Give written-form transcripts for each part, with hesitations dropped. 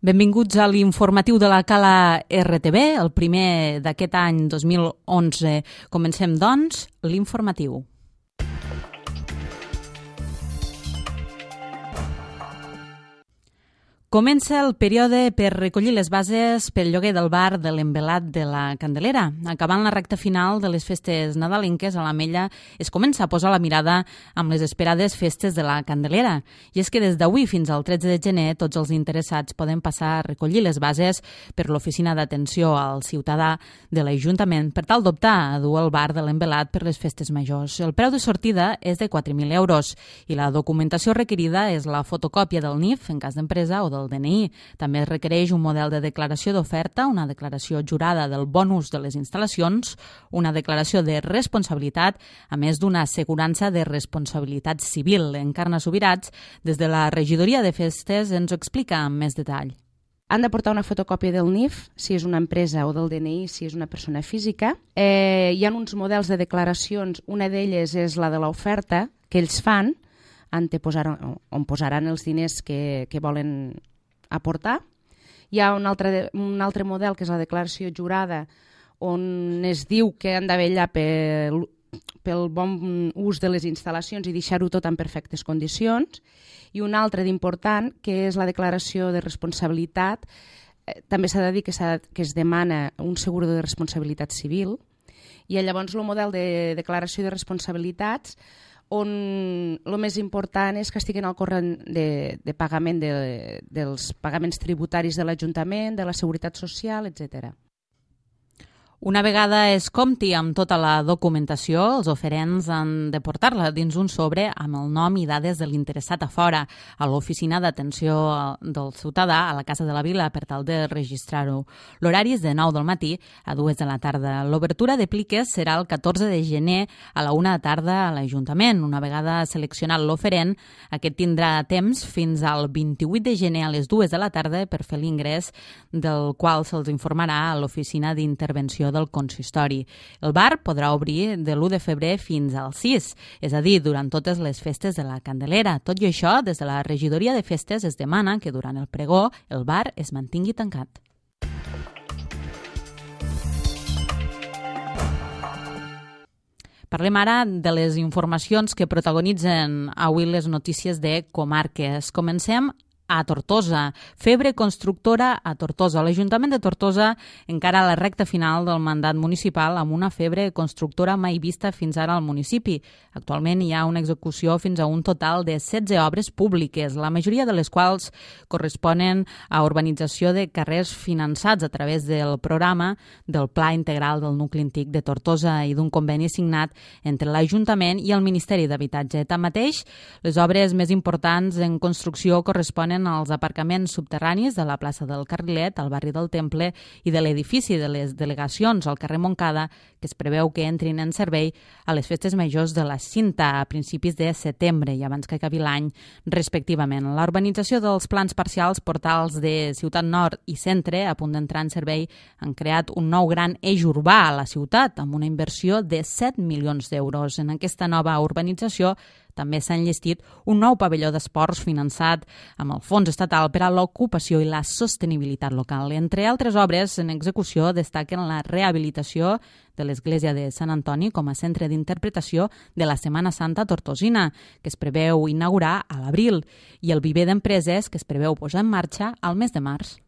Benvinguts a l'informatiu de la Cala RTV, el primer d'aquest any 2011. Comencem, doncs, l'informatiu. Comença el període per recollir les bases pel lloguer del bar de l'Envelat de la Candelera. Acabant la recta final de les festes nadalenques, a l'Ametlla es comença a posar la mirada amb les esperades festes de la Candelera. I és que des d'avui fins al 13 de gener tots els interessats poden passar a recollir les bases per l'Oficina d'Atenció al Ciutadà de l'Ajuntament per tal d'optar a dur el bar de l'Envelat per les festes majors. El preu de sortida és de 4.000 euros i la documentació requerida és la fotocòpia del NIF en cas d'empresa o del DNI. També es requereix un model de declaració d'oferta, una declaració jurada del bon ús de les instal·lacions, una declaració de responsabilitat, a més d'una assegurança de responsabilitat civil. Encarna Subirats, des de la Regidoria de Festes, ens ho explica amb més detall. Han de portar una fotocòpia del NIF, si és una empresa, o del DNI, si és una persona física. Hi ha uns models de declaracions, una d'elles és la de l'oferta que ells fan, on posaran els diners que volen aportar. Hi ha un altre model que és la declaració jurada, on es diu que han de vetllar pel bon ús de les instal·lacions i deixar-ho tot en perfectes condicions, i un altre d'important que és la declaració de responsabilitat. També s'ha de dir que es demana un seguro de responsabilitat civil, i llavors el model de declaració de responsabilitats on el més important és que estiguin al corrent de pagament dels pagaments tributaris de l'Ajuntament, de la Seguretat Social, etc. Una vegada es compti amb tota la documentació, els oferents han de portar-la dins un sobre amb el nom i dades de l'interessat a fora, a l'Oficina d'Atenció del Ciutadà, a la Casa de la Vila, per tal de registrar-ho. L'horari és de 9 del matí a 2 de la tarda. L'obertura de pliques serà el 14 de gener a la 1 de tarda a l'Ajuntament. Una vegada seleccionat l'oferent, aquest tindrà temps fins al 28 de gener a les 2 de la tarda per fer l'ingrés, del qual se'ls informarà a l'Oficina d'Intervenció del consistori. El bar podrà obrir de l'1 de febrer fins al 6, és a dir, durant totes les festes de la Candelera. Tot i això, des de la Regidoria de Festes es demana que durant el pregó el bar es mantingui tancat. Parlem ara de les informacions que protagonitzen avui les notícies de comarques. Comencem a Tortosa. Febre constructora a Tortosa. L'Ajuntament de Tortosa encara a la recta final del mandat municipal amb una febre constructora mai vista fins ara al municipi. Actualment hi ha una execució fins a un total de 16 obres públiques, la majoria de les quals corresponen a urbanització de carrers finançats a través del programa del Pla Integral del Nucli Antic de Tortosa i d'un conveni signat entre l'Ajuntament i el Ministeri d'Habitatge. Tanmateix, les obres més importants en construcció corresponen als aparcaments subterranis de la plaça del Carrilet, al barri del Temple, i de l'edifici de les delegacions al carrer Montcada, que es preveu que entrin en servei a les festes majors de la Cinta a principis de setembre i abans que acabi l'any, respectivament. La urbanització dels plans parcials portals de Ciutat Nord i Centre, a punt d'entrar en servei, han creat un nou gran eix urbà a la ciutat, amb una inversió de 7 milions d'euros. En aquesta nova urbanització també s'ha enllestit un nou pavelló d'esports finançat amb el Fons Estatal per a l'Ocupació i la Sostenibilitat Local. Entre altres obres en execució destaquen la rehabilitació de l'Església de Sant Antoni com a centre d'interpretació de la Setmana Santa tortosina, que es preveu inaugurar a l'abril, i el viver d'empreses, que es preveu posar en marxa al mes de març.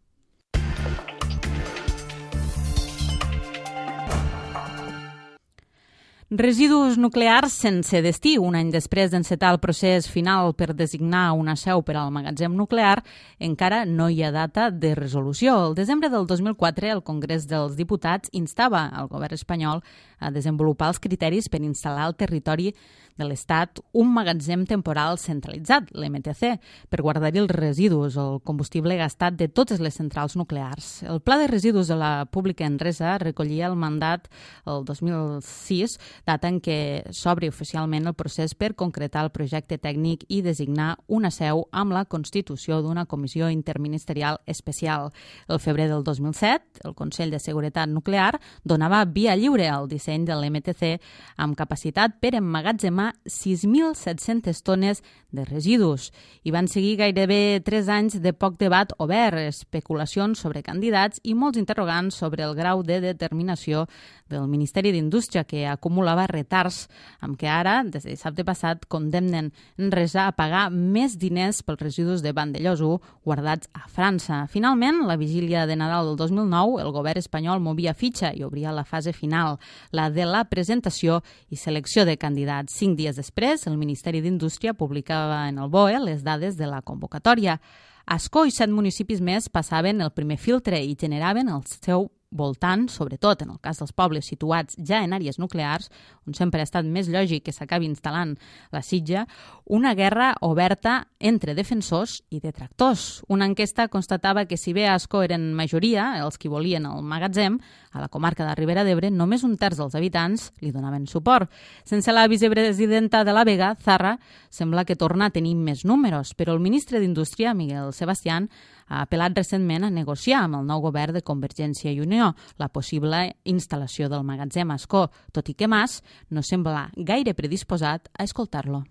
Residus nuclears sense destí. Un any després d'encetar el procés final per designar una seu per al magatzem nuclear, encara no hi ha data de resolució. El desembre del 2004, el Congrés dels Diputats instava al govern espanyol a desenvolupar els criteris per instal·lar al territori de l'Estat un magatzem temporal centralitzat, l'MTC, per guardar-hi els residus, el combustible gastat de totes les centrals nuclears. El Pla de Residus de la Pública Enresa recollia el mandat el 2006, data en què s'obri oficialment el procés per concretar el projecte tècnic i designar una seu amb la constitució d'una comissió interministerial especial. El febrer del 2007, el Consell de Seguretat Nuclear donava via lliure al disseny disseny de l'MTC amb capacitat per emmagatzemar 6.700 tones de residus. I van seguir gairebé 3 anys de poc debat obert, especulacions sobre candidats i molts interrogants sobre el grau de determinació del Ministeri d'Indústria, que acumulava retards, amb què ara, des de dissabte passat, condemnen Enresa a pagar més diners pels residus de Vandellòs 1 guardats a França. Finalment, la vigília de Nadal del 2009, el govern espanyol movia fitxa i obria la fase final, la de la presentació i selecció de candidats. 5 dies després, el Ministeri d'Indústria publicava en el BOE les dades de la convocatòria. Ascó i 7 municipis més passaven el primer filtre i generaven el seu voltant, sobretot en el cas dels pobles situats ja en àrees nuclears, on sempre ha estat més lògic que s'acabi instal·lant la sitja, una guerra oberta entre defensors i detractors. Una enquesta constatava que si bé a Ascó eren majoria els qui volien el magatzem, a la comarca de Ribera d'Ebre només un terç dels habitants li donaven suport. Sense la vicepresidenta de la Vega, Zarra, sembla que torna a tenir més números, però el ministre d'Indústria, Miguel Sebastián, ha apel·lat recentment a negociar amb el nou govern de Convergència i Unió la possible instal·lació del magatzem a Ascó, tot i que Mas no sembla gaire predisposat a escoltar-lo.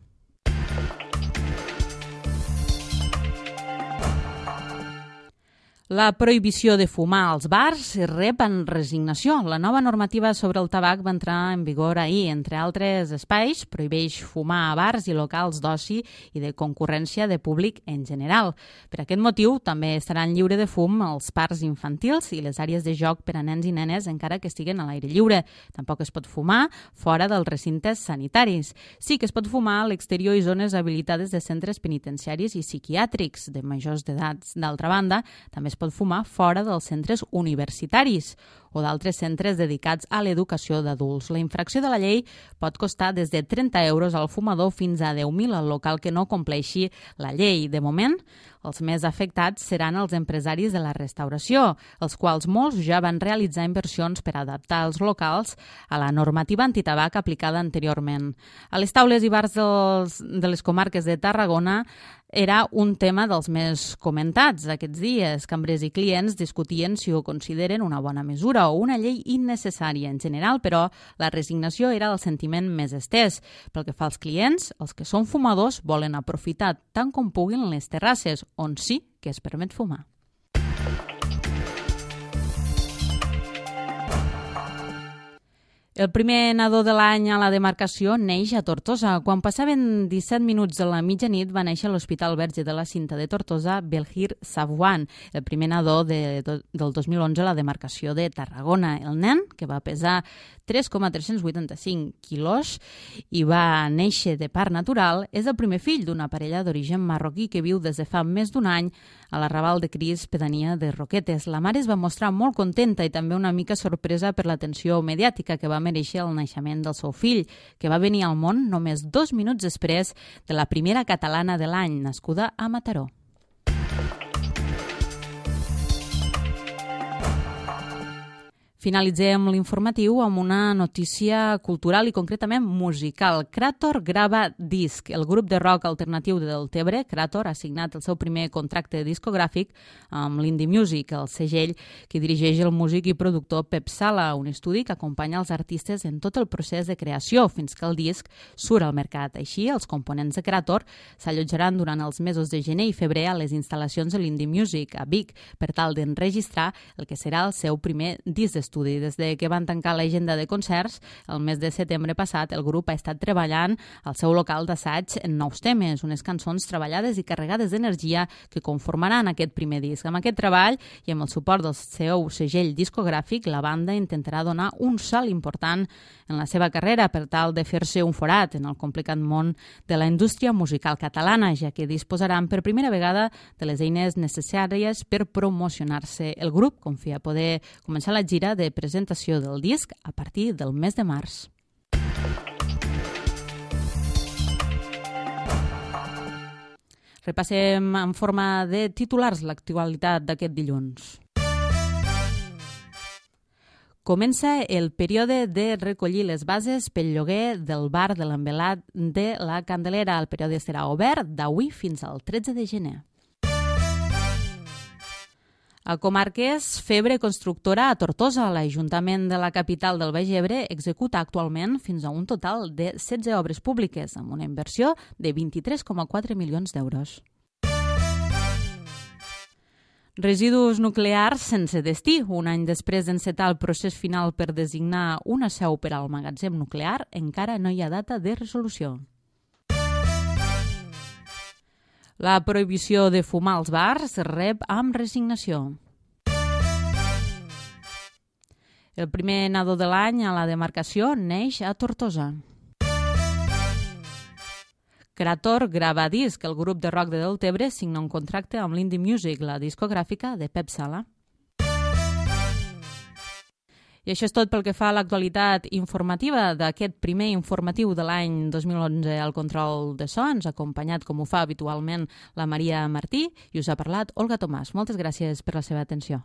La prohibició de fumar als bars rep en resignació. La nova normativa sobre el tabac va entrar en vigor ahir. Entre altres espais, prohibeix fumar a bars i locals d'oci i de concurrència de públic en general. Per aquest motiu, també estaran lliure de fum els parcs infantils i les àrees de joc per a nens i nenes, encara que estiguen a l'aire lliure. Tampoc es pot fumar fora dels recintes sanitaris. Sí que es pot fumar a l'exterior i zones habilitades de centres penitenciaris i psiquiàtrics de majors d'edats. D'altra banda, també es pot fumar fora dels centres universitaris o d'altres centres dedicats a l'educació d'adults. La infracció de la llei pot costar des de 30 euros al fumador fins a 10.000 al local que no compleixi la llei. De moment, els més afectats seran els empresaris de la restauració, els quals molts ja van realitzar inversions per adaptar els locals a la normativa antitabac aplicada anteriorment. A les taules i bars de les comarques de Tarragona era un tema dels més comentats aquests dies. Cambrers i clients discutien si ho consideren una bona mesura o una llei innecessària. En general, però, la resignació era el sentiment més estès. Pel que fa als clients, els que són fumadors volen aprofitar tant com puguin les terrasses, on sí que es permet fumar. El primer nadó de l'any a la demarcació neix a Tortosa. Quan passaven 17 minuts de la mitjanit va néixer a l'Hospital Verge de la Cinta de Tortosa Belhir Savwan, el primer nadó del 2011 a la demarcació de Tarragona. El nen, que va pesar 3,385 quilos i va néixer de part natural, és el primer fill d'una parella d'origen marroquí que viu des de fa més d'un any a l'arrabal de Cris, pedania de Roquetes. La mare es va mostrar molt contenta i també una mica sorpresa per l'atenció mediàtica que va mereixer el naixement del seu fill, que va venir al món només 2 minuts després de la primera catalana de l'any, nascuda a Mataró. Finalitzem l'informatiu amb una notícia cultural i concretament musical. Krator grava disc. El grup de rock alternatiu de Deltebre, Krator, ha signat el seu primer contracte discogràfic amb l'Indie Music, el segell que dirigeix el músic i productor Pep Sala, un estudi que acompanya els artistes en tot el procés de creació fins que el disc surt al mercat. Així, els components de Krator s'allotjaran durant els mesos de gener i febrer a les instal·lacions de l'Indie Music a Vic per tal d'enregistrar el que serà el seu primer disc d'estudi. Des de que van tancar l'agenda de concerts, el mes de setembre passat, el grup ha estat treballant al seu local d'assaig en nous temes, unes cançons treballades i carregades d'energia que conformaran aquest primer disc. Amb aquest treball i amb el suport del seu segell discogràfic, la banda intentarà donar un salt important en la seva carrera per tal de fer-se un forat en el complicat món de la indústria musical catalana, ja que disposaran per primera vegada de les eines necessàries per promocionar-se. El grup confia poder començar la gira de presentació del disc a partir del mes de març. Repassem en forma de titulars l'actualitat d'aquest dilluns. Comença el període de recollir les bases pel lloguer del bar de l'Envelat de la Candelera. El període serà obert d'avui fins al 13 de gener. A Comarques, febre constructora a Tortosa. L'Ajuntament de la capital del Baix Ebre executa actualment fins a un total de 16 obres públiques amb una inversió de 23,4 milions d'euros. Residus nuclears sense destí. Un any després d'encetar el procés final per designar una seu per al magatzem nuclear, encara no hi ha data de resolució. La prohibició de fumar als bars rep amb resignació. El primer nadó de l'any a la demarcació neix a Tortosa. Creator grava disc. El grup de rock de Deltebre signa un contracte amb l'Indie Music, la discogràfica de Pep Sala. I això és tot pel que fa a l'actualitat informativa d'aquest primer informatiu de l'any 2011 al control de so. Ens ha acompanyat, com ho fa habitualment, la Maria Martí i us ha parlat Olga Tomàs. Moltes gràcies per la seva atenció.